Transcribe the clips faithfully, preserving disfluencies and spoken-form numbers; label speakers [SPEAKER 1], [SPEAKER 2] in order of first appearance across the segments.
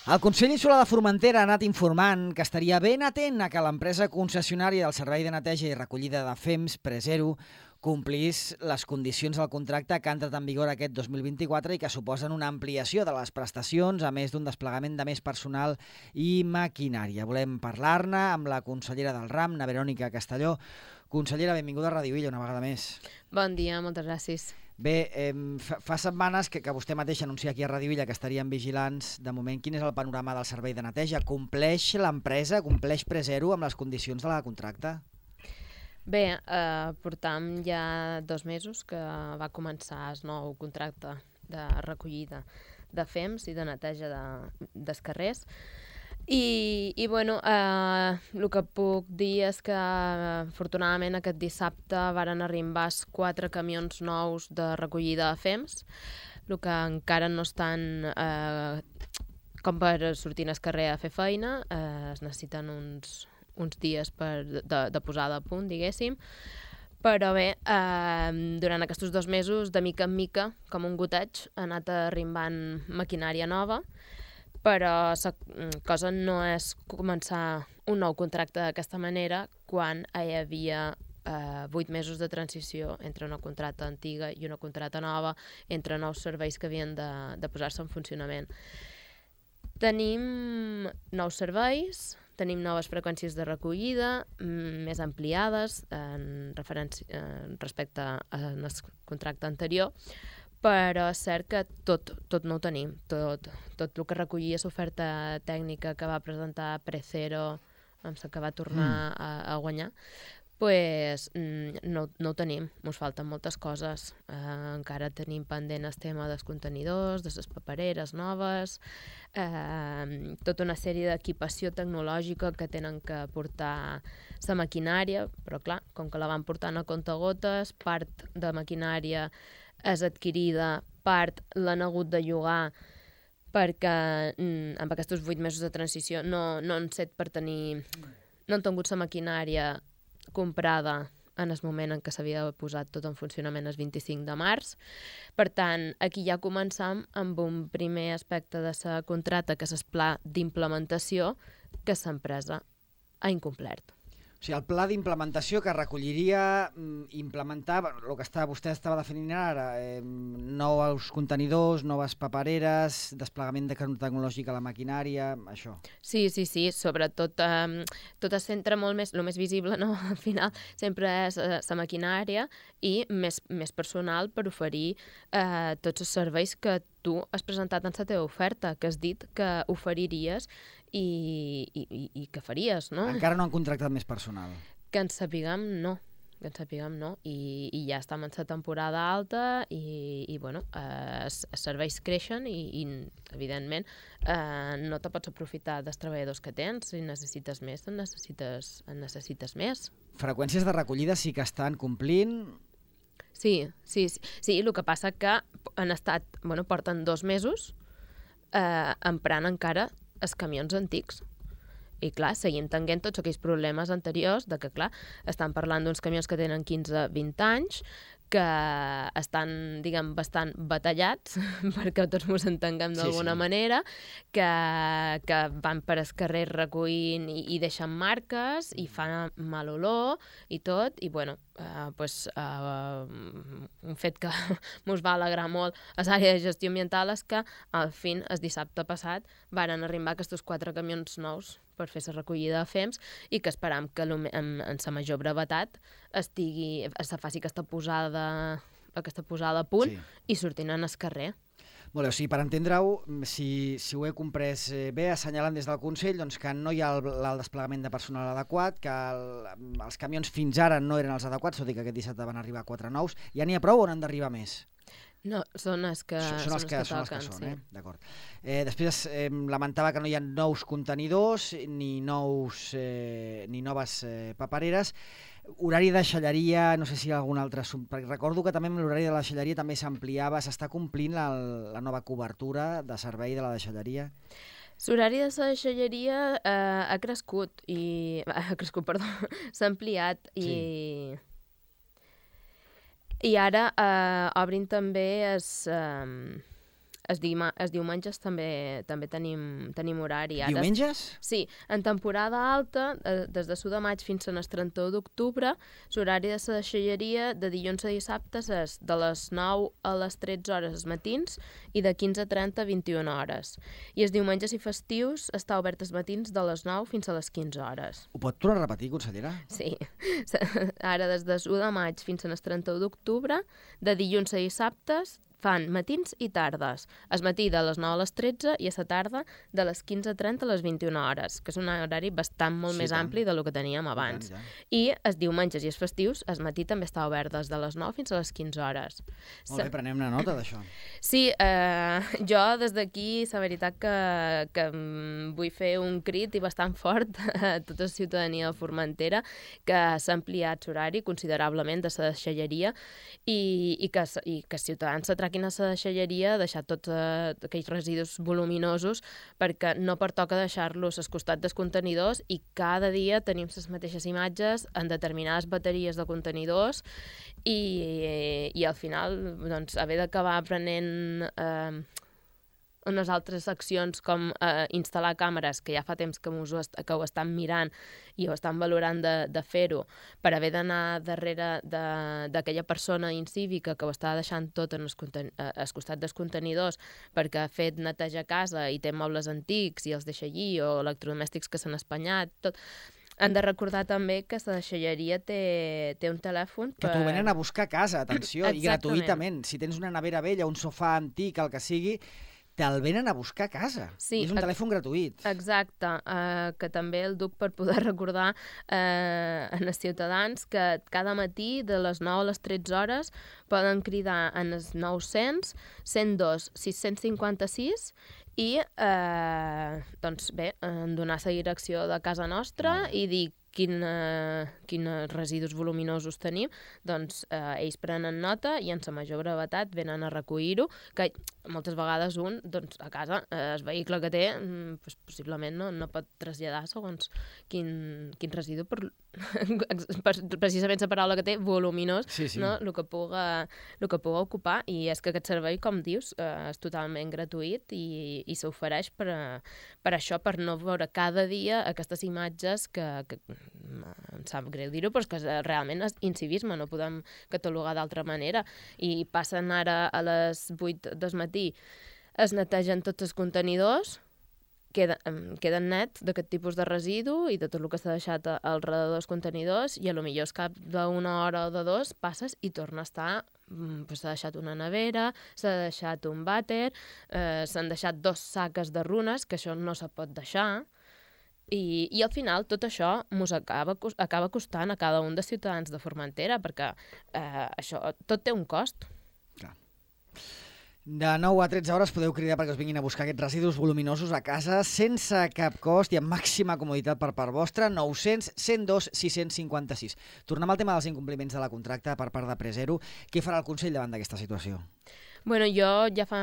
[SPEAKER 1] El Consell Insular de Formentera ha anat informant que estaria ben atent a que l'empresa concessionària del servei de neteja i recollida de F E M S Presero complís les condicions del contracte que ha entrat en vigor aquest dos mil vint-i-quatre i que suposen una ampliació de les prestacions, a més d'un desplegament de més personal i maquinària. Volem parlar-ne amb la consellera del RAM, na Verònica Castelló. Consellera, benvinguda a Ràdio Illa una vegada més.
[SPEAKER 2] Bon dia, moltes gràcies.
[SPEAKER 1] Bé, eh, fa, fa setmanes que, que vostè mateix anuncia aquí a Ràdio Illa que estarien vigilants. De moment, quin és el panorama del servei de neteja? Compleix l'empresa, compleix Presero amb les condicions de la contracte?
[SPEAKER 2] Bé, eh, portam ja dos mesos que va començar el nou contracte de recollida de F E M S i de neteja de, dels carrers. I, i bueno, eh, el que puc dir és que afortunadament aquest dissabte varen arribar quatre camions nous de recollida de F E M S, el que encara no estan eh, com per sortir al carrer a fer feina, eh, es necessiten uns, uns dies per, de, de posada a punt, diguéssim. Però bé, eh, durant aquests dos mesos, de mica en mica, com un goteig, ha anat arribant maquinària nova, però la cosa no és començar un nou contracte d'aquesta manera quan hi havia eh, vuit mesos de transició entre una contracta antiga i una contracta nova, entre nous serveis que havien de, de posar-se en funcionament. Tenim nous serveis, tenim noves freqüències de recollida, més ampliades en referència, en respecte al contracte anterior, però és cert que tot, tot no ho tenim. Tot, tot el que recollia l'oferta tècnica que va presentar Presero, que va tornar mm. a, a guanyar, pues, no, no ho tenim. Ens falten moltes coses. Eh, encara tenim pendent el tema dels contenidors, de les papereres noves, eh, tota una sèrie d'equipació tecnològica que tenen que portar la maquinària, però clar, com que la van portant a comptagotes, part de maquinària és adquirida, part l'han hagut de llogar perquè mm, amb aquests vuit mesos de transició no, no han set per tenir... no han tingut la maquinària comprada en el moment en què s'havia posat tot en funcionament el vint-i-cinc de març. Per tant, aquí ja començam amb un primer aspecte de la contracta, que és el pla d'implementació que l'empresa ha incomplert.
[SPEAKER 1] O sigui, el pla d'implementació que recolliria implementar el que està, vostè estava definint ara, eh, nous contenidors, noves papereres, desplegament de tecnològic a la maquinària, això.
[SPEAKER 2] Sí, sí, sí, sobretot eh, tot es centra molt més, el més visible, no? Al final sempre és la eh, maquinària i més, més personal per oferir eh, tots els serveis que tu has presentat en la teva oferta, que has dit que oferiries i, i, i que faries, no?
[SPEAKER 1] Encara no han contractat més personal.
[SPEAKER 2] Que ens sapiguem, no. Que ens sapiguem, no. I, i ja estem en la temporada alta i, i bueno, eh, els serveis creixen i, i evidentment, eh, no te pots aprofitar dels treballadors que tens. Si necessites més, en necessites, en necessites més.
[SPEAKER 1] Freqüències de recollida sí que estan complint...
[SPEAKER 2] Sí, sí, sí, sí, el que passa que han estat, bueno, porten dos mesos eh, emprant encara els camions antics. I clar, seguim tenint tots aquells problemes anteriors de que, clar, estan parlant d'uns camions que tenen quinze vint anys, que estan, diguem, bastant batallats, perquè tots ens entenguem d'alguna sí, sí. manera, que, que van per el carrer recollint i, i deixen marques i fan mal olor i tot, i bueno, eh, pues, eh, un fet que ens va alegrar molt a l'àrea de gestió ambiental és que al fin, el dissabte passat, varen arribar aquests quatre camions nous per fer la recollida de F E M S i que esperam que en, en la major brevetat estigui, es faci aquesta posada, aquesta posada a punt sí. i sortint en el carrer.
[SPEAKER 1] Molt bé, o sigui, per entendre-ho, si, si ho he comprès bé, assenyalant des del Consell doncs, que no hi ha el, el desplegament de personal adequat, que el, els camions fins ara no eren els adequats, tot i que aquest dissabte van arribar quatre nous. Ja n'hi ha prou o n'han d'arribar més?
[SPEAKER 2] No, són els que,
[SPEAKER 1] són, són els que,
[SPEAKER 2] que
[SPEAKER 1] són
[SPEAKER 2] toquen,
[SPEAKER 1] els que són,
[SPEAKER 2] sí.
[SPEAKER 1] eh? D'acord. Eh, després eh, lamentava que no hi ha nous contenidors ni, nous, eh, ni noves eh, papereres. Horari de deixalleria, no sé si hi ha algun altre... Perquè recordo que també l'horari de la deixalleria també s'ampliava, s'està complint la, la nova cobertura de servei de la deixalleria?
[SPEAKER 2] L'horari de la deixalleria eh, ha crescut, i ha crescut, perdó, s'ha ampliat i... Sí. I ara eh, obrin també es, eh, els, dima, els diumenges també també tenim, tenim horari. Ara,
[SPEAKER 1] diumenges?
[SPEAKER 2] Sí, en temporada alta, eh, des de l'u de maig fins al trenta-u d'octubre, l'horari de la deixalleria de dilluns a dissabtes és de les nou a les tretze hores els matins i de quinze a trenta a vint-i-una hores. I els diumenges i festius està obert els matins de les nou fins a les quinze hores.
[SPEAKER 1] Ho pot tornar a repetir, consellera?
[SPEAKER 2] Sí. Ara, des del u de maig fins al trenta-u d'octubre, de dilluns a dissabtes, fan matins i tardes. El matí de les nou a les tretze i a la tarda de les quinze a trenta a les vint-i-una hores, que és un horari bastant molt
[SPEAKER 1] Sí,
[SPEAKER 2] més
[SPEAKER 1] tant.
[SPEAKER 2] ampli del que teníem abans.
[SPEAKER 1] I tant, ja.
[SPEAKER 2] I els diumenges i els festius, el matí també està obert des de les nou fins a les quinze hores.
[SPEAKER 1] Molt bé, prenem una nota d'això.
[SPEAKER 2] Sí, eh, jo des d'aquí, la veritat que, que mm, vull fer un crit i bastant fort a tota la ciutadania de Formentera, que s'ha ampliat l'horari considerablement de la deixalleria i, i, que, i que els ciutadans s'atraquen a la deixalleria, deixar tots eh, aquells residus voluminosos, perquè no pertoca deixar-los al costat dels contenidors i cada dia tenim les mateixes imatges en determinades bateries de contenidors i, i al final doncs, haver d'acabar aprenent eh, unes altres accions com eh, instal·lar càmeres, que ja fa temps que, us ho, que ho estan mirant i ho estan valorant de, de fer-ho, per haver d'anar darrere d'aquella persona incívica que ho està deixant tot en el, eh, al costat dels contenidors perquè ha fet neteja a casa i té mobles antics i els deixa allí, o electrodomèstics que s'han espanyat, tot. Han de recordar també que la deixalleria té, té un telèfon
[SPEAKER 1] per... Que t'ho venen a buscar a casa, atenció, i gratuïtament. Si tens una nevera vella, un sofà antic, el que sigui, te'l venen a buscar a casa.
[SPEAKER 2] Sí,
[SPEAKER 1] és un telèfon gratuït.
[SPEAKER 2] Exacte, uh, que també el duc per poder recordar uh, als ciutadans que cada matí de les nou a les tretze hores poden cridar en els nou-cents, cent dos, sis-cents cinquanta-sis i eh, doncs bé, donar la direcció de casa nostra i dir quin, eh, quins residus voluminosos tenim, doncs eh, ells prenen nota i en la major brevetat venen a recollir-ho, que moltes vegades un, doncs a casa, eh, el vehicle que té, doncs, possiblement no, no pot traslladar segons quin, quin residu, per, per, precisament la paraula que té, voluminós,
[SPEAKER 1] sí, sí.
[SPEAKER 2] No? El que puga, el que puga ocupar, i és que aquest servei, com dius, eh, és totalment gratuït i, i s'ofereix per, per això, per no veure cada dia aquestes imatges que, que em sap greu dir-ho, però és que realment és incivisme, no podem catalogar d'altra manera. I passen ara a les vuit del matí, es netegen tots els contenidors, queden, queden nets d'aquest tipus de residu i de tot el que s'ha deixat al redador dels contenidors, i a lo millor és cap d'una hora o de dos passes i torna a estar, pues, s'ha deixat una nevera, s'ha deixat un vàter, eh, s'han deixat dos saques de runes, que això no se pot deixar. I, i al final tot això mos acaba, acaba costant a cada un dels ciutadans de Formentera, perquè eh, això tot té un cost.
[SPEAKER 1] Clar. De nou a tretze hores podeu cridar perquè us vinguin a buscar aquests residus voluminosos a casa sense cap cost i amb màxima comoditat per part vostra. Nou-cents, cent dos, sis-cents cinquanta-sis. Tornem al tema dels incompliments de la contracta per part de Presero. Què farà el Consell davant d'aquesta situació?
[SPEAKER 2] Bueno, jo ja fa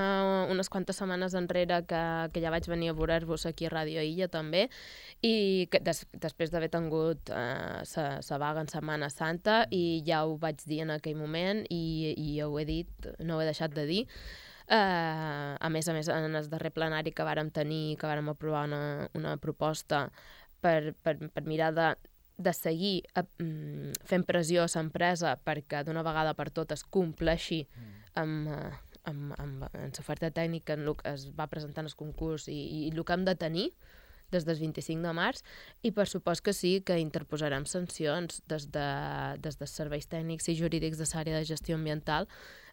[SPEAKER 2] unes quantes setmanes enrere que, que ja vaig venir a veure-vos aquí a Ràdio Illa també, i que des, després d'haver tingut eh, sa vaga en Setmana Santa, i ja ho vaig dir en aquell moment i, i ho he dit, no ho he deixat de dir. Uh, a més a més, en el darrer plenari que vàrem tenir, que vàrem aprovar una, una proposta per, per, per mirar de, de seguir uh, fent pressió a l'empresa perquè d'una vegada per totes compleixi amb, uh, amb, amb, amb l'oferta tècnica en el que es va presentar en el concurs i, i el que hem de tenir des del vint-i-cinc de març, i per supost que sí que interposarem sancions des de, des dels serveis tècnics i jurídics de l'àrea de gestió ambiental.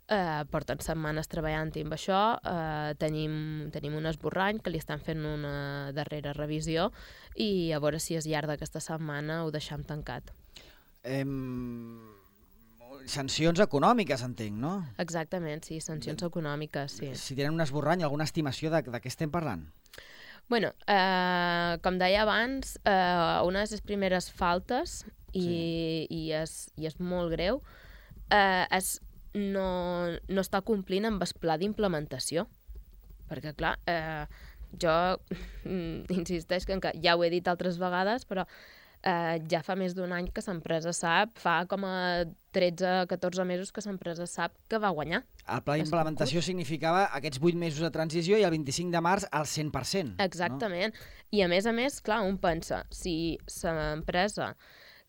[SPEAKER 2] Eh, porten setmanes treballant-hi amb això, eh, tenim, tenim un esborrany que li estan fent una darrera revisió i a veure si al llarg d'aquesta setmana ho deixem tancat.
[SPEAKER 1] Em... Sancions econòmiques, entenc, no?
[SPEAKER 2] Exactament, sí, sancions de... econòmiques, sí.
[SPEAKER 1] Si tenen un esborrany, alguna estimació de, de què estem parlant?
[SPEAKER 2] Bueno, eh, com deia abans, eh, una de les primeres faltes, i, sí. i, és, i és molt greu, eh, és no, no està complint amb el pla d'implementació. Perquè, clar, eh, jo insisteix que ja ho he dit altres vegades, però eh, ja fa més d'un any que l'empresa sap, fa com a tretze a catorze mesos que l'empresa sap que va guanyar.
[SPEAKER 1] El pla d'implementació significava aquests vuit mesos de transició i el vint-i-cinc de març al cent per cent.
[SPEAKER 2] Exactament. No? I a més a més, clar, un pensa, si l'empresa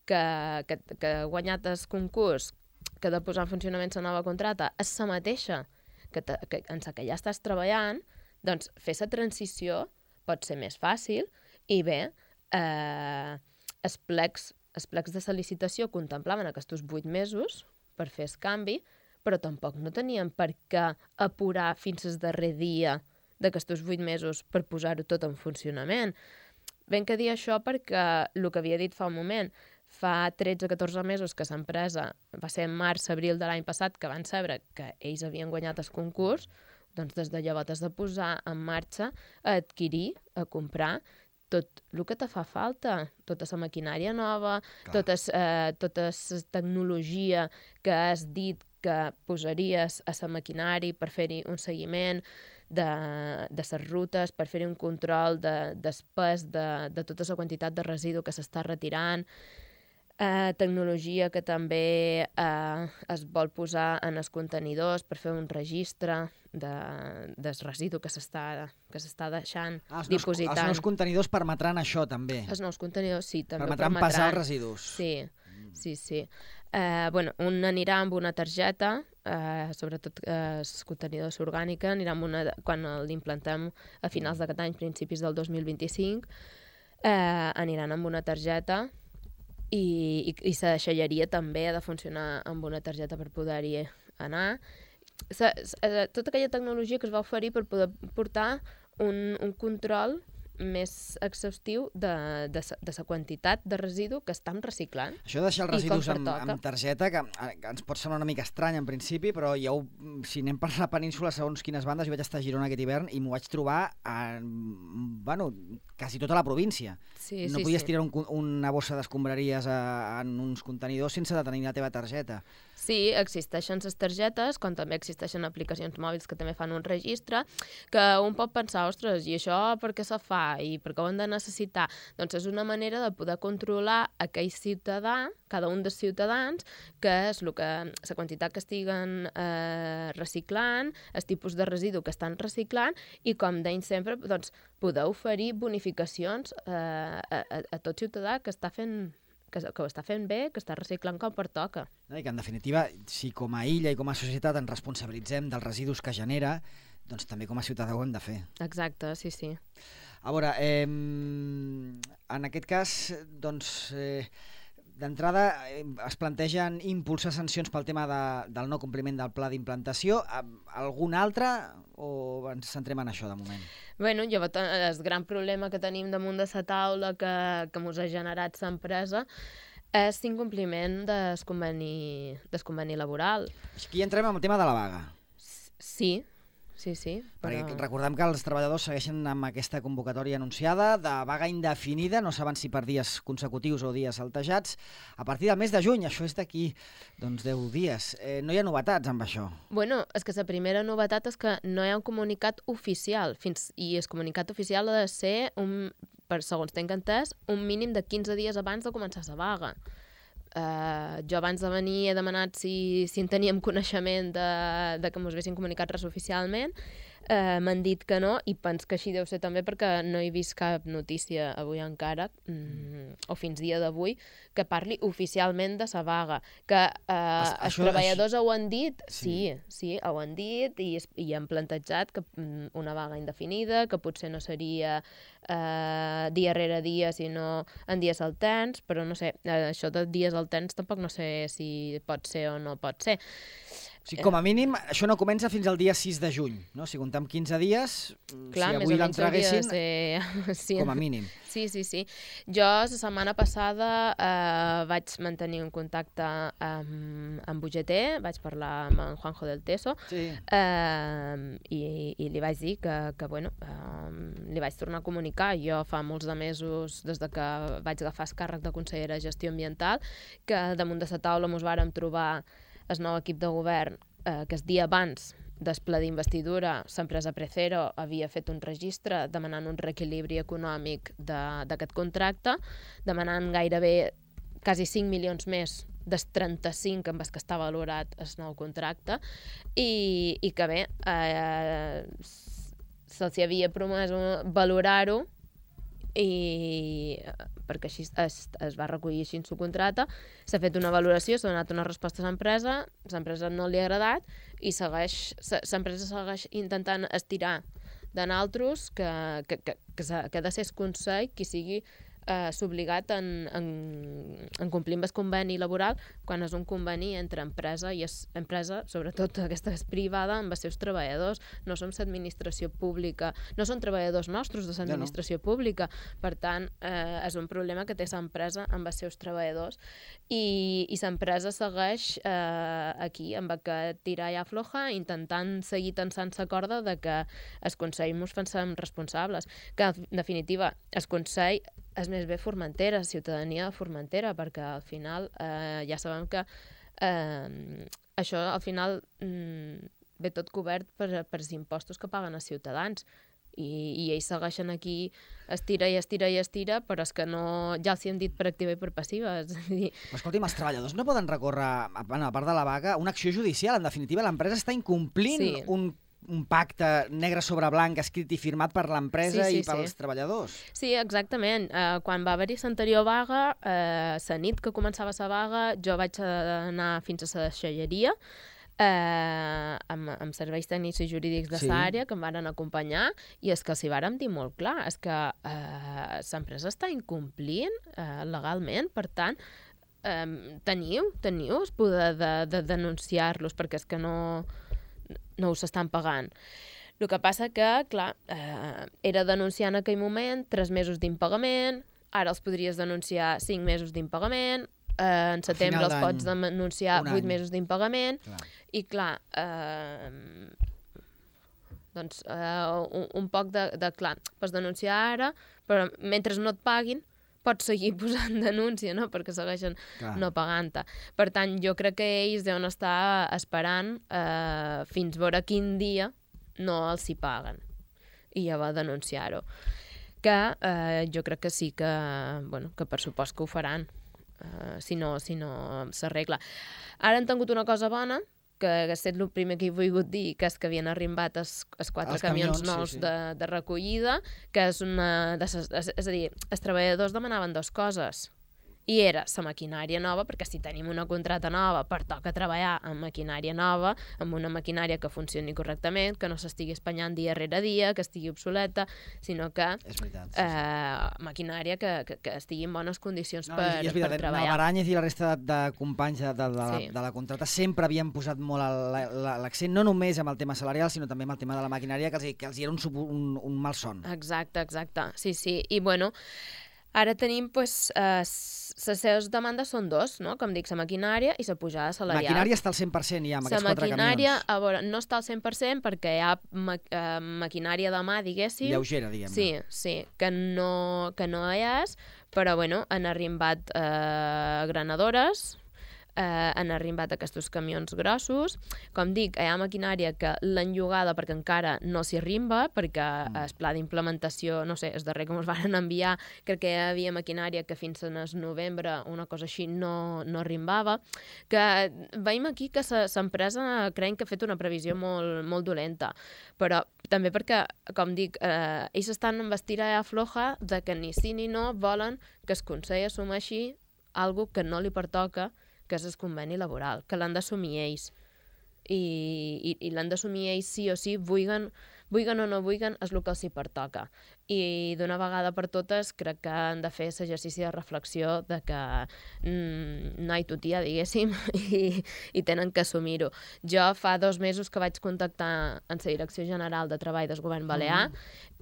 [SPEAKER 2] que, que, que ha guanyat el concurs, que ha de posar en funcionament la nova contracta, és la mateixa que, te, que en la que ja estàs treballant, doncs fer la transició pot ser més fàcil i bé, eh, els plecs Els plecs de la licitació contemplaven aquests vuit mesos per fer el canvi, però tampoc no tenien per què apurar fins al darrer dia d'aquests vuit mesos per posar-ho tot en funcionament. Ben que dir això perquè el que havia dit fa un moment, fa tretze a catorze mesos que l'empresa, va ser en març-abril de l'any passat, que van saber que ells havien guanyat el concurs, doncs des de llavors has de posar en marxa a adquirir, a comprar, tot el que te fa falta, tota la maquinària nova, tota eh, tota la tecnologia que has dit que posaries a la maquinari per fer-hi un seguiment de, de les rutes, per fer-hi un control de, del pes de, de tota la quantitat de residu que s'està retirant, eh, tecnologia que també eh, es vol posar en els contenidors per fer un registre de, del residu que s'està que s'està deixant,
[SPEAKER 1] ah, els
[SPEAKER 2] dipositant.
[SPEAKER 1] Nous, els nous contenidors permetran això, també.
[SPEAKER 2] Els nous contenidors, sí, també
[SPEAKER 1] permetran. Permetran pesar els residus.
[SPEAKER 2] Sí, mm. sí, sí. Eh, bueno, un anirà amb una targeta, eh, sobretot eh, els contenidors orgànica, anirà amb una, quan l'implantem a finals d'aquest any, principis del dos mil vint-i-cinc, eh, aniran amb una targeta i, i, i la deixalleria també ha de funcionar amb una targeta per poder-hi anar. Sa, sa, tota aquella tecnologia que es va oferir per poder portar un, un control més exhaustiu de, de, de la quantitat de residu que estan reciclant.
[SPEAKER 1] Això de deixar els residus amb, amb targeta, que, que ens pot semblar una mica estrany en principi, però jo, si anem per la península, segons quines bandes, jo vaig estar a Girona aquest hivern i m'ho vaig trobar a, bueno, quasi tota la província.
[SPEAKER 2] Sí,
[SPEAKER 1] no
[SPEAKER 2] sí,
[SPEAKER 1] podies
[SPEAKER 2] sí.
[SPEAKER 1] tirar un, una bossa d'escombraries en uns contenidors sense de tenir la teva targeta.
[SPEAKER 2] Sí, existeixen les targetes, com també existeixen aplicacions mòbils que també fan un registre, que un pot pensar, ostres, i això per què se fa i per què ho hem de necessitar? Doncs és una manera de poder controlar aquell ciutadà, cada un dels ciutadans, que és el que, la quantitat que estiguen eh, reciclant, el tipus de residu que estan reciclant i, com deim sempre, doncs, poder oferir bonificacions eh, a, a, a tot ciutadà que està fent que, que ho està fent bé, que està reciclant com pertoca.
[SPEAKER 1] I que, en definitiva, si com a illa i com a societat ens responsabilitzem dels residus que genera, doncs també com a ciutadà ho hem de fer.
[SPEAKER 2] Exacte, sí, sí.
[SPEAKER 1] A veure, eh, en aquest cas, doncs, eh, d'entrada eh, es plantegen impulsar sancions pel tema de, del no compliment del pla d'implantació. Algun altre o ens centrem en això de moment?
[SPEAKER 2] Bueno, llavors el gran problema que tenim damunt de la taula que, que ens ha generat l'empresa és l'incompliment del conveni, del conveni laboral.
[SPEAKER 1] Aquí entrem en el tema de la vaga.
[SPEAKER 2] Sí, sí, sí.
[SPEAKER 1] Perquè
[SPEAKER 2] però...
[SPEAKER 1] recordem que els treballadors segueixen amb aquesta convocatòria anunciada de vaga indefinida, no saben si per dies consecutius o dies saltejats, a partir del mes de juny. Això és d'aquí doncs, deu dies. Eh, no hi ha novetats amb això?
[SPEAKER 2] Bueno, és que la primera novetat és que no hi ha un comunicat oficial, fins i el comunicat oficial ha de ser, un, per segons tenc entès, un mínim de quinze dies abans de començar la vaga. Uh, jo abans de venir he demanat si, si en teníem coneixement de, de que ens haguessin comunicat res oficialment. Uh, m'han dit que no i penso que així deu ser també perquè no he vist cap notícia avui encara, mm, o fins dia d'avui, que parli oficialment de la vaga. Que uh,
[SPEAKER 1] Això,
[SPEAKER 2] els treballadors
[SPEAKER 1] això...
[SPEAKER 2] ho han dit,
[SPEAKER 1] sí,
[SPEAKER 2] sí, sí, ho han dit i, i han plantejat que mm, una vaga indefinida, que potser no seria uh, dia rere dia, sinó en dies alterns, però no sé, uh, això de dies alterns tampoc no sé si pot ser o no pot ser.
[SPEAKER 1] O sigui, com a mínim, això no comença fins al dia sis de juny, no? Si comptem quinze dies,
[SPEAKER 2] clar,
[SPEAKER 1] si avui l'entreguessin,
[SPEAKER 2] ser... sí.
[SPEAKER 1] com a mínim.
[SPEAKER 2] Sí, sí, sí. Jo la setmana passada eh, vaig mantenir un contacte amb, amb U G T, vaig parlar amb en Juanjo del Teso,
[SPEAKER 1] sí.
[SPEAKER 2] eh, i, i li vaig dir que, que bueno, eh, li vaig tornar a comunicar. Jo fa molts de mesos, des de que vaig agafar el càrrec de consellera de Gestió Ambiental, que damunt de la taula mos vàrem trobar el nou equip de govern, eh, que el dia abans del ple d'investidura, l'empresa Precero havia fet un registre demanant un reequilibri econòmic d'aquest contracte, demanant gairebé quasi cinc milions més dels trenta-cinc amb els que està valorat el nou contracte, i, i que bé, eh, se'ls havia promès valorar-ho, i perquè així es, es va recollir així en su contracte, s'ha fet una valoració, s'ha donat una resposta a l'empresa, l'empresa no li ha agradat i segueix, l'empresa segueix intentant estirar de naltros que, que, que, que, que ha de ser el Consell qui sigui eh, s'obligat en, en, en complir amb el conveni laboral quan és un conveni entre empresa i es, empresa, sobretot aquesta és privada, amb els seus treballadors. No som l'administració pública, no són treballadors nostres de l'administració pública, per tant, eh, és un problema que té l'empresa amb els seus treballadors i, i l'empresa segueix eh, aquí amb aquest tirar i afloja, intentant seguir tensant la corda de que el Consell ens pensem responsables, que en definitiva el Consell és més bé Formentera, ciutadania de Formentera, perquè al final eh, ja sabem que eh, això al final mm, ve tot cobert per, per els impostos que paguen els ciutadans i, i ells segueixen aquí, estira i estira i estira, però és que no, ja els hi han dit per activa i per passiva. És a dir...
[SPEAKER 1] Però escolti'm, els treballadors no poden recórrer, bueno, a part de la vaga, una acció judicial. En definitiva, l'empresa està incomplint sí. un un pacte negre sobre blanc escrit i firmat per l'empresa sí, sí, i pels sí. treballadors.
[SPEAKER 2] Sí, exactament. Uh, quan va haver-hi l'anterior vaga, uh, la nit que començava la vaga, jo vaig anar fins a la deixalleria eh, amb, amb serveis tècnics i jurídics de l'àrea sí. que em van acompanyar i és que els hi vàrem dir molt clar, és que eh, l'empresa està incomplint eh, legalment, per tant, eh, teniu, teniu el poder de, de denunciar-los perquè és que no... no us estan pagant. El que passa que, clar, eh, era denunciar en aquell moment tres mesos d'impagament, ara els podries denunciar cinc mesos d'impagament, eh, en setembre els pots denunciar vuit mesos d'impagament, clar. I clar, eh, doncs eh, un, un poc de, de, clar, pots denunciar ara, però mentre no et paguin, pots seguir posant denúncia, no? Perquè segueixen Clar. no pagant-te. Per tant, jo crec que ells deuen estar esperant eh, fins veure quin dia no els hi paguen. I ja va denunciar-ho. Que eh, jo crec que sí que, bueno, que per supost que ho faran, eh, si no si no s'arregla. Ara han tingut una cosa bona, que ha estat el primer que he volgut dir, que és que havien arribat els, els quatre els camions, camions nous sí, sí. De, de recollida, que és una... De ses, és, és a dir, els treballadors demanaven dues coses. I era la maquinària nova, perquè si tenim una contrata nova, pertoca treballar amb maquinària nova, amb una maquinària que funcioni correctament, que no s'estigui espanyant dia rere dia, que estigui obsoleta, sinó que
[SPEAKER 1] és veritat, sí, sí.
[SPEAKER 2] Eh, maquinària que, que, que estigui en bones condicions no, per,
[SPEAKER 1] i és veritat,
[SPEAKER 2] per treballar.
[SPEAKER 1] Navaranyes i la resta de, de companys de, de, de, sí. de la contrata sempre havien posat molt l'accent, no només amb el tema salarial, sinó també amb el tema de la maquinària, que els, que els hi era un, un, un mal son.
[SPEAKER 2] Exacte, exacte, sí, sí. I bueno, ara tenim, pues, eh, les seves demandes són dos, no? Com dic, la maquinària i la pujada salarial.
[SPEAKER 1] La maquinària està al cent per cent ja, amb aquests quatre camions. La maquinària,
[SPEAKER 2] a veure, no està al cent per cent perquè hi ha ma eh, maquinària de mà, diguéssim.
[SPEAKER 1] Lleugera, diguem-ne.
[SPEAKER 2] Sí, sí, que no, que no hi és, però, bueno, han arribat eh, granadores, eh, han arribat aquests camions grossos. Com dic, hi ha maquinària que l'han llogada perquè encara no s'hi arrimba, perquè mm. el pla d'implementació, no sé, el darrer que ens van enviar, crec que hi havia maquinària que fins al novembre, una cosa així, no, no arrimbava. Que veiem aquí que l'empresa creiem que ha fet una previsió molt, molt dolenta, però també perquè, com dic, eh, ells estan amb estira i afloja de que ni sí ni no volen que el Consell assumeixi algo que no li pertoca, que és el conveni laboral, que l'han d'assumir ells. I, i, i l'han d'assumir ells sí o sí, vulguen, vulguen o no vulguen, és el que els hi pertoca. I d'una vegada per totes crec que han de fer l'exercici de reflexió de que mm, no hi tutia, diguéssim, i, i tenen que assumir-ho. Jo fa dos mesos que vaig contactar amb la Direcció General de Treball del Govern Balear mm.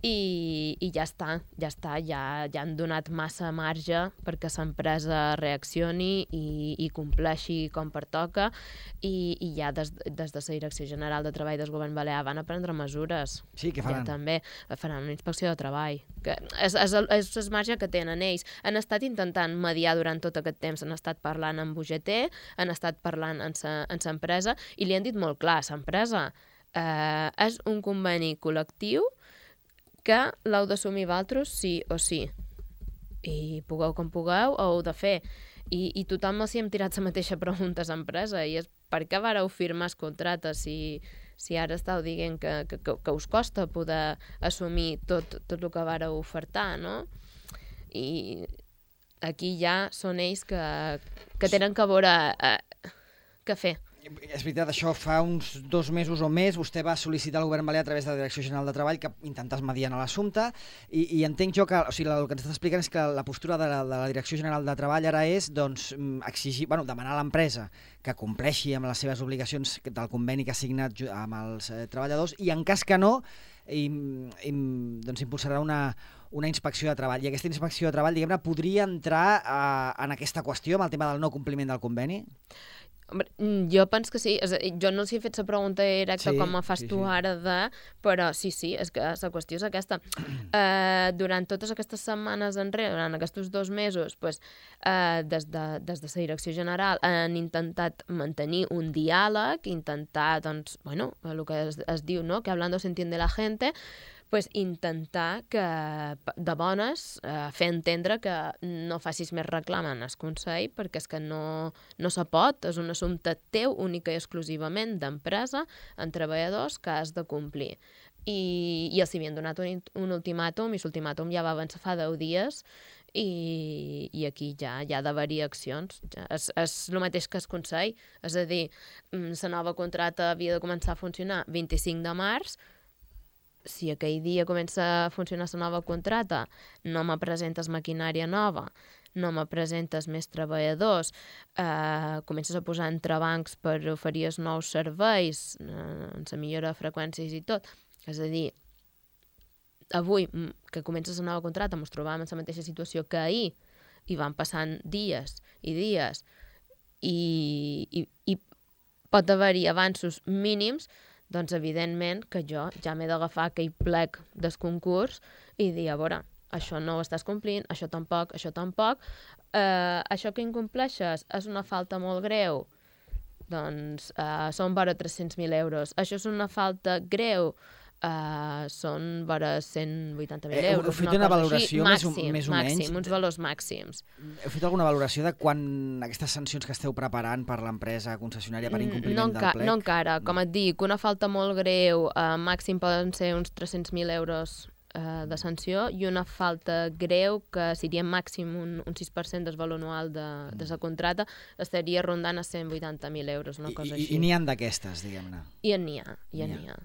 [SPEAKER 2] i, i ja està, ja està, ja, ja han donat massa marge perquè l'empresa reaccioni i, i compleixi com pertoca i, i ja des, des de la Direcció General de Treball del Govern Balear van a prendre mesures.
[SPEAKER 1] Sí, què faran?
[SPEAKER 2] Ja també faran una inspecció de treball. Que és, és, el, és el marge que tenen ells. Han estat intentant mediar durant tot aquest temps, han estat parlant amb U G T, han estat parlant amb l'empresa i li han dit molt clar, l'empresa eh, és un conveni col·lectiu que l'heu d'assumir vosaltres sí o sí. I pugueu com pugueu, ho heu de fer. I, i tothom els hi hem tirat la mateixa pregunta a l'empresa, i és per què vareu firmar el contracte si, si ara estàu dient que, que, que us costa poder assumir tot, tot el que vareu ofertar, no? I aquí ja són ells que, que tenen que veure eh, què fer.
[SPEAKER 1] És veritat, això fa uns dos mesos o més vostè va sol·licitar al govern balear a través de la Direcció General de Treball que intentàs mediar en l'assumpte i, i entenc jo que, o sigui, el que ens estàs explicant és que la postura de la, de la Direcció General de Treball ara és, doncs, exigir, bueno, demanar a l'empresa que compleixi amb les seves obligacions del conveni que ha signat amb els eh, treballadors i en cas que no, i, i, doncs impulsarà una, una inspecció de treball. I aquesta inspecció de treball, diguem-ne, podria entrar eh, en aquesta qüestió, amb el tema del no compliment del conveni?
[SPEAKER 2] Jo penso que sí. Jo no els he fet la pregunta directa sí, com me fas sí, tu sí. ara de... Però sí, sí, és que la qüestió és aquesta. Uh, durant totes aquestes setmanes enrere, durant aquests dos mesos, pues, uh, des, de, des de la Direcció General han intentat mantenir un diàleg, intentar, doncs, bueno, el que es, es diu, no?, que hablando se entiende la gente, pues, intentar que, de bones, eh, fer entendre que no facis més reclam en el Consell, perquè és que no, no se pot, és un assumpte teu única i exclusivament d'empresa, en treballadors, que has de complir. I, i els havien donat un, un ultimàtum, i l'ultimàtum ja va avançar fa deu dies, i, i aquí ja hi ha d'haver-hi accions. Ja, és, és el mateix que el Consell, és a dir, la nova contracta havia de començar a funcionar vint-i-cinc de març, si aquell dia comença a funcionar la nova contracta, no me presentes maquinària nova, no me presentes més treballadors, eh, comences a posar entrebancs per oferir els nous serveis, eh, en la millora de freqüències i tot. És a dir, avui, que comences la nova contracta, ens trobàvem en la mateixa situació que ahir, i van passant dies i dies, i, i, i pot haver-hi avanços mínims, doncs evidentment que jo ja m'he d'agafar aquell plec del concurs i dir, a veure, això no ho estàs complint, això tampoc, això tampoc, eh, això que incompleixes és una falta molt greu, doncs eh, són vora tres-cents mil euros, això és una falta greu, Uh, són vora cent vuitanta mil euros.
[SPEAKER 1] Heu fet una, una valoració
[SPEAKER 2] així,
[SPEAKER 1] màxim, més o
[SPEAKER 2] màxim,
[SPEAKER 1] menys?
[SPEAKER 2] Uns valors màxims.
[SPEAKER 1] Heu fet alguna valoració de quan aquestes sancions que esteu preparant per l'empresa concessionària per incompliment
[SPEAKER 2] no
[SPEAKER 1] del plec?
[SPEAKER 2] No encara. Com et dic, una falta molt greu, uh, màxim poden ser uns tres-cents mil euros uh, de sanció, i una falta greu, que seria màxim un, un sis per cent del valor anual de, de la contracta, estaria rondant a cent vuitanta mil euros, una cosa
[SPEAKER 1] I,
[SPEAKER 2] així.
[SPEAKER 1] I n'hi ha d'aquestes, diguem-ne?
[SPEAKER 2] I n'hi ha, i n'hi ha.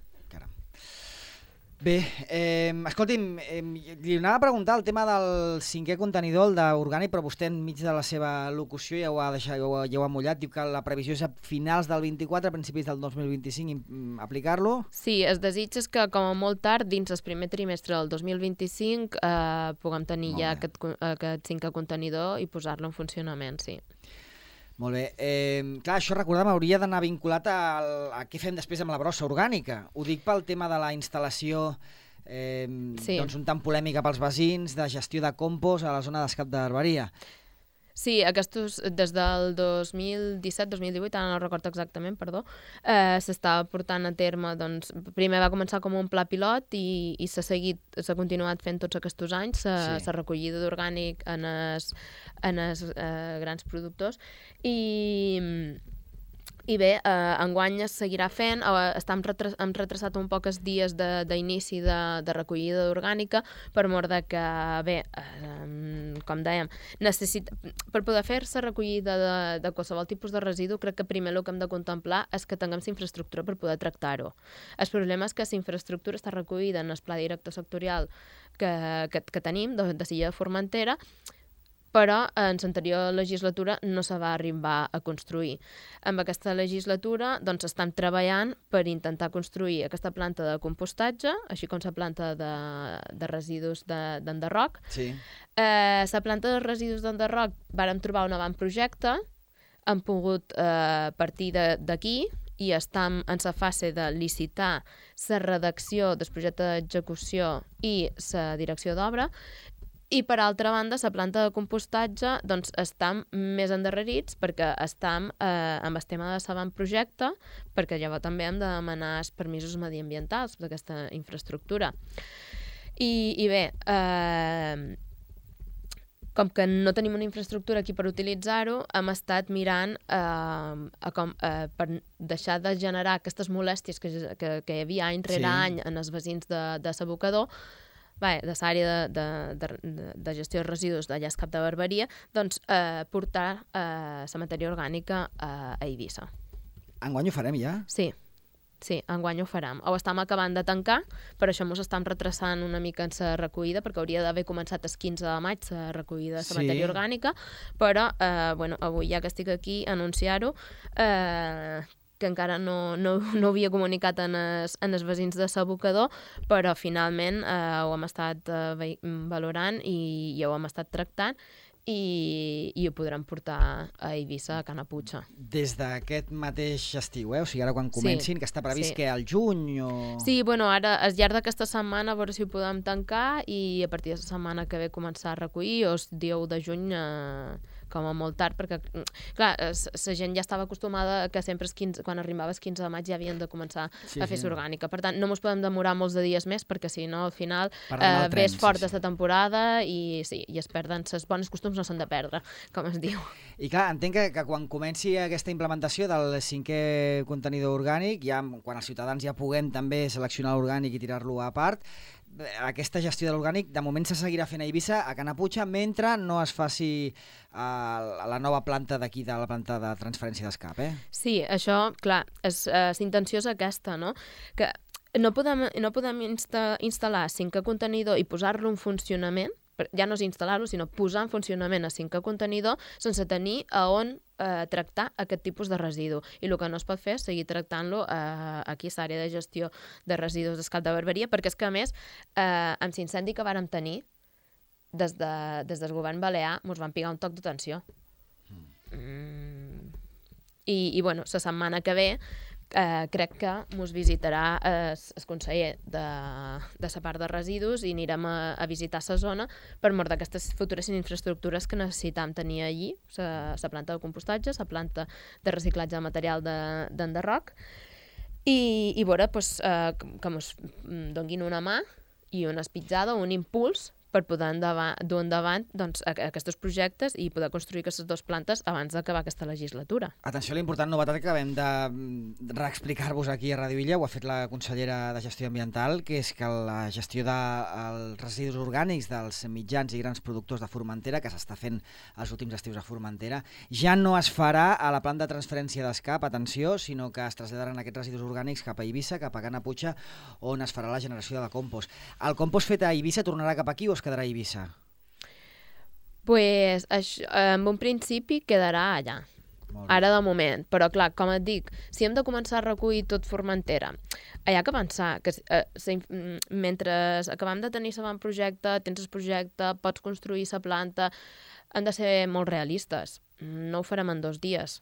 [SPEAKER 1] Bé, eh, escolti'm, eh, li anava a preguntar el tema del cinquè contenidor, el d'orgànic, però vostè enmig de la seva locució ja ho ha deixat, ja ho ha, ja ho ha mullat, diu que la previsió és a finals del vint-i-quatre, a principis del dos mil vint-i-cinc, aplicar-lo?
[SPEAKER 2] Sí, es desitja que com a molt tard, dins el primer trimestre del dos mil vint-i-cinc, eh, puguem tenir ja aquest, aquest cinquè contenidor i posar-lo en funcionament, sí.
[SPEAKER 1] Molt bé. Eh, clar, això, recordem, hauria d'anar vinculat a, a què fem després amb la brossa orgànica. Ho dic pel tema de la instal·lació eh, sí. doncs un tant polèmica pels veïns, de gestió de compost a la zona d'escap d'herberia.
[SPEAKER 2] Sí, aquests, des del dos mil disset dos mil divuit, ara no recordo exactament, perdó, eh, s'estava portant a terme, doncs, primer va començar com un pla pilot i, i s'ha seguit, s'ha continuat fent tots aquests anys, la sí. recollida d'orgànic en els en els eh, grans productors, i... I bé, eh, enguany es seguirà fent, eh, està retras, hem retrasat un poc els dies d'inici de, de, de recollida orgànica per mort de que, bé, eh, com dèiem, necessita, per poder fer-se recollida de, de qualsevol tipus de residu, crec que primer el que hem de contemplar és que tinguem la infraestructura per poder tractar-ho. El problema és que la infraestructura està recollida en el pla director sectorial que, que, que tenim, de, de Silla de Formentera, però en l'anterior legislatura no se va arribar a construir. En aquesta legislatura doncs, estem treballant per intentar construir aquesta planta de compostatge, així com la planta de, de residus d'enderroc.
[SPEAKER 1] Sí.
[SPEAKER 2] Eh, la planta de residus d'enderroc vàrem trobar un avantprojecte, hem pogut eh, partir d'aquí i estem en la fase de licitar la redacció del projecte d'execució i la direcció d'obra. I, per altra banda, la planta de compostatge doncs, estem més endarrerits perquè estem eh, amb el tema de l'avantprojecte, perquè llavors també hem de demanar els permisos mediambientals d'aquesta infraestructura. I, i bé, eh, com que no tenim una infraestructura aquí per utilitzar-ho, hem estat mirant eh, a com, eh, per deixar de generar aquestes molèsties que, que, que hi havia any rere sí. any en els veïns de, de s'abocador, bé, de l'àrea de, de, de, de gestió de residus d'allà al Cap de Barberia, doncs eh, portar eh, la matèria orgànica a, a Eivissa.
[SPEAKER 1] Enguany ho farem ja?
[SPEAKER 2] Sí. Sí, enguany ho farem. Ho estem acabant de tancar, per això ens estem retrasant una mica en la recollida, perquè hauria d'haver començat el quinze de maig la recollida de la sí. matèria orgànica, però eh, bueno, avui ja que estic aquí a anunciar-ho, eh, que encara no, no, no havia comunicat en els, en els veïns de l'abocador, però finalment eh, ho hem estat eh, valorant i, i ho hem estat tractant, I, i ho podrem portar a Eivissa, a Canaputxa.
[SPEAKER 1] Des d'aquest mateix estiu, eh? O sigui, ara quan comencin, sí, que està previst sí. que al juny o...
[SPEAKER 2] Sí, bueno, ara, al llarg d'aquesta setmana, a veure si ho podem tancar i a partir de la setmana que ve començar a recollir, o el dia u de juny, eh, com a molt tard, perquè, clar, la gent ja estava acostumada que sempre el quinze, quan arribava el quinze de maig ja havien de començar sí, a fer sí. orgànica. Per tant, no ens podem demorar molts de dies més, perquè si no, al final, eh, ves fort sí, sí. de temporada i, sí, i es perden. Les bones costums no s'han de perdre, com es diu.
[SPEAKER 1] I clar, entenc que, que quan comenci aquesta implementació del cinquè contenidor orgànic, ja, quan els ciutadans ja puguem també seleccionar l'orgànic i tirar-lo a part, aquesta gestió de l'orgànic de moment se seguirà fent a Eivissa, a Canaputxa, mentre no es faci a la nova planta d'aquí, de la planta de transferència d'escap, eh?
[SPEAKER 2] Sí, això, clar, és, eh, l'intenció és aquesta, no? Que no podem, no podem insta, instal·lar cinquè contenidor i posar-lo en funcionament, ja no és instal·lar-lo, sinó posar en funcionament el cinquè contenidor sense tenir a on eh, tractar aquest tipus de residu. I el que no es pot fer és seguir tractant-lo eh, aquí a l'àrea de gestió de residus del Cap de Barberia, perquè és que, a més, eh, amb l'incendi que vàrem tenir, des, de, des del govern balear, ens van pigar un toc d'atenció. Mm. I, i, bueno, la setmana que ve Eh, crec que ens visitarà el eh, conseller de, de la part de residus i anirem a, a visitar la zona per mort d'aquestes futures infraestructures que necessitam tenir allí, la planta de compostatge, la planta de reciclatge de material d'enderroc, i, i veure pues, eh, que ens donguin una mà i una espitzada, un impuls per poder endavant, dur endavant doncs, aquests projectes i poder construir aquestes dues plantes abans d'acabar aquesta legislatura.
[SPEAKER 1] Atenció a l'important novetat que acabem de reexplicar-vos aquí a Radio Illa, ho ha fet la consellera de Gestió Ambiental, que és que la gestió dels residus orgànics dels mitjans i grans productors de Formentera, que s'està fent els últims estius a Formentera, ja no es farà a la planta de transferència d'escap, atenció, sinó que es traslladaran aquests residus orgànics cap a Eivissa, cap a Canaputxa, on es farà la generació de compost. El compost fet a Eivissa tornarà cap aquí o es quedarà a Eivissa?
[SPEAKER 2] Pues, això, en un principi quedarà allà, ara de moment, però clar, com et dic, si hem de començar a recollir tot Formentera, hi ha que pensar que eh, se, mentre acabem de tenir el projecte, tens el projecte, pots construir la planta, han de ser molt realistes, no ho farem en dos dies.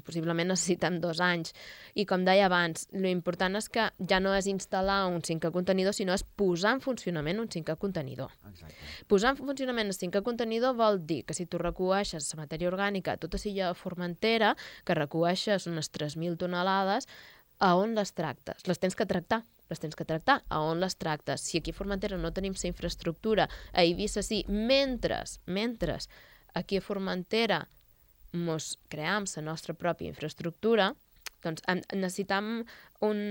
[SPEAKER 2] Possiblement necessitem dos anys. I com deia abans, l'important és que ja no és instal·lar un cinquè contenidor, sinó és posar en funcionament un cinquè contenidor. Exacte. Posar en funcionament el cinquè contenidor vol dir que si tu recueixes la matèria orgànica a tota l'illa de Formentera, que recueixes unes tres mil tonelades, a on les tractes? Les tens que tractar. Les tens que tractar. A on les tractes? Si aquí a Formentera no tenim la infraestructura, a Eivissa sí, mentre, mentre aquí a Formentera ens cream la nostra pròpia infraestructura, doncs necessitam un,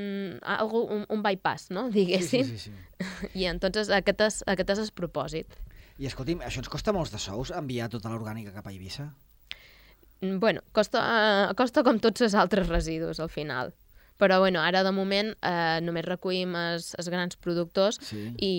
[SPEAKER 2] un, un bypass, no? Diguéssim. Sí, sí, sí, sí. I entonces aquest és, aquest és el propòsit.
[SPEAKER 1] I escolti'm, això ens costa molts de sous, enviar tota l'orgànica cap a Eivissa?
[SPEAKER 2] Bueno, costa, uh, costa com tots els altres residus, al final. Però bueno, ara de moment eh, només recollim els, els grans productors sí. i,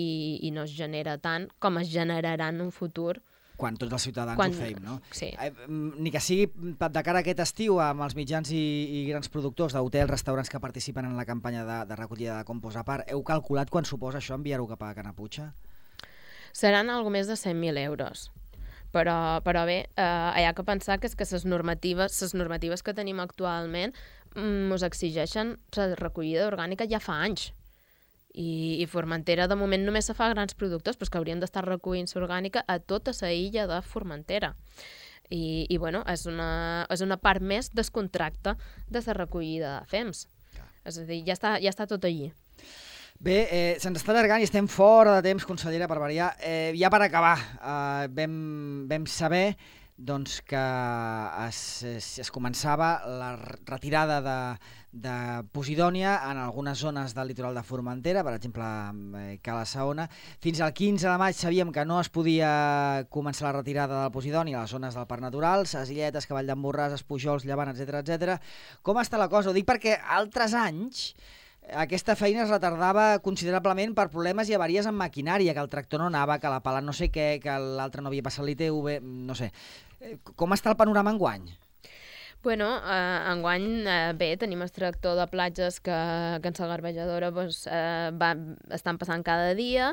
[SPEAKER 2] i no es genera tant com es generarà en un futur
[SPEAKER 1] quan tots els ciutadans quan... ho feim, no?
[SPEAKER 2] Sí.
[SPEAKER 1] Eh, ni que sigui de cara a aquest estiu amb els mitjans i, i grans productors d'hotels, restaurants que participen en la campanya de, de recollida de compost a part, heu calculat quan suposa això enviar-ho cap a Canaputxa?
[SPEAKER 2] Seran algo més de cent mil euros. Però, però bé, eh, hi ha que pensar que és que les normatives, les normatives que tenim actualment ens exigeixen la recollida orgànica ja fa anys. I, i Formentera de moment només se fa grans productors, però que haurien d'estar recollint l'orgànica a tota la illa de Formentera. I, i bueno, és una, és una part més del contracte de la recollida de fems. Ja. És a dir, ja està, ja està tot allí.
[SPEAKER 1] Bé, eh, se'ns està allargant i estem fora de temps, consellera, per variar. Eh, ja per acabar, eh, vam, vam saber doncs, que es, es, es començava la retirada de, de posidònia en algunes zones del litoral de Formentera, per exemple, eh, Cala Saona. Fins al quinze de maig sabíem que no es podia començar la retirada del posidònia a les zones del Parc Natural, Ses Illetes, Cavall d'en Borràs, Espujols, Llevant, etcètera, etcètera. Com està la cosa? Ho dic perquè altres anys aquesta feina es retardava considerablement per problemes i avaries en maquinària, que el tractor no anava, que la pala no sé què, que l'altre no havia passat l'I T V, no sé. Com està el panorama enguany?
[SPEAKER 2] Bueno, eh, enguany, eh, bé, tenim extractor de platges que, que en la garbejadora doncs, eh, va, estan passant cada dia.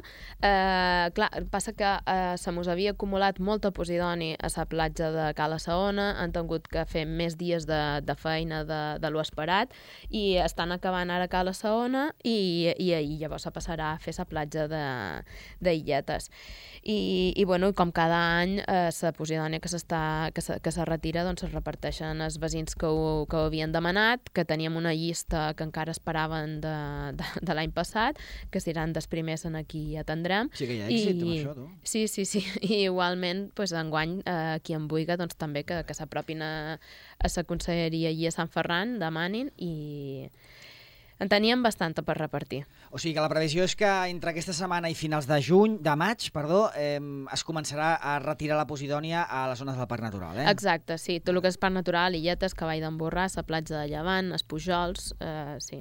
[SPEAKER 2] Eh, clar, passa que eh, se mos havia acumulat molta posidoni a la platja de Cala Saona, han tingut que fer més dies de, de feina de, de lo esperat i estan acabant ara Cala Saona i, i, i llavors se passarà a fer la platja d'Illetes. I, i bueno, com cada any, eh, la posidònia que, que, se, que se retira doncs, es reparteixen els veïns que ho, que ho havien demanat, que teníem una llista que encara esperaven de, de, de l'any passat, que seran dels primers en aquí atendrem.
[SPEAKER 1] Sí que hi ha èxit
[SPEAKER 2] I,
[SPEAKER 1] amb això, tu.
[SPEAKER 2] Sí, sí, sí. I igualment, pues, enguany, eh, qui en vulgui, doncs, també que, que s'apropin a, a la conselleria i a Sant Ferran, demanin, i en teníem bastanta per repartir.
[SPEAKER 1] O sigui que la previsió és que entre aquesta setmana i finals de juny, de maig, perdó, eh, es començarà a retirar la posidònia a les zones del Parc Natural, eh?
[SPEAKER 2] Exacte, sí. Tot el que és Parc Natural, Illetes, Cavall d'en Borràs, la platja de Llevant, Espujols, eh, sí.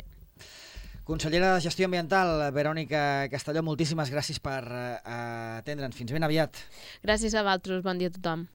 [SPEAKER 1] Consellera de Gestió Ambiental, Verònica Castelló, moltíssimes gràcies per eh, atendre'ns. Fins ben aviat.
[SPEAKER 2] Gràcies a vosaltres. Bon dia a tothom.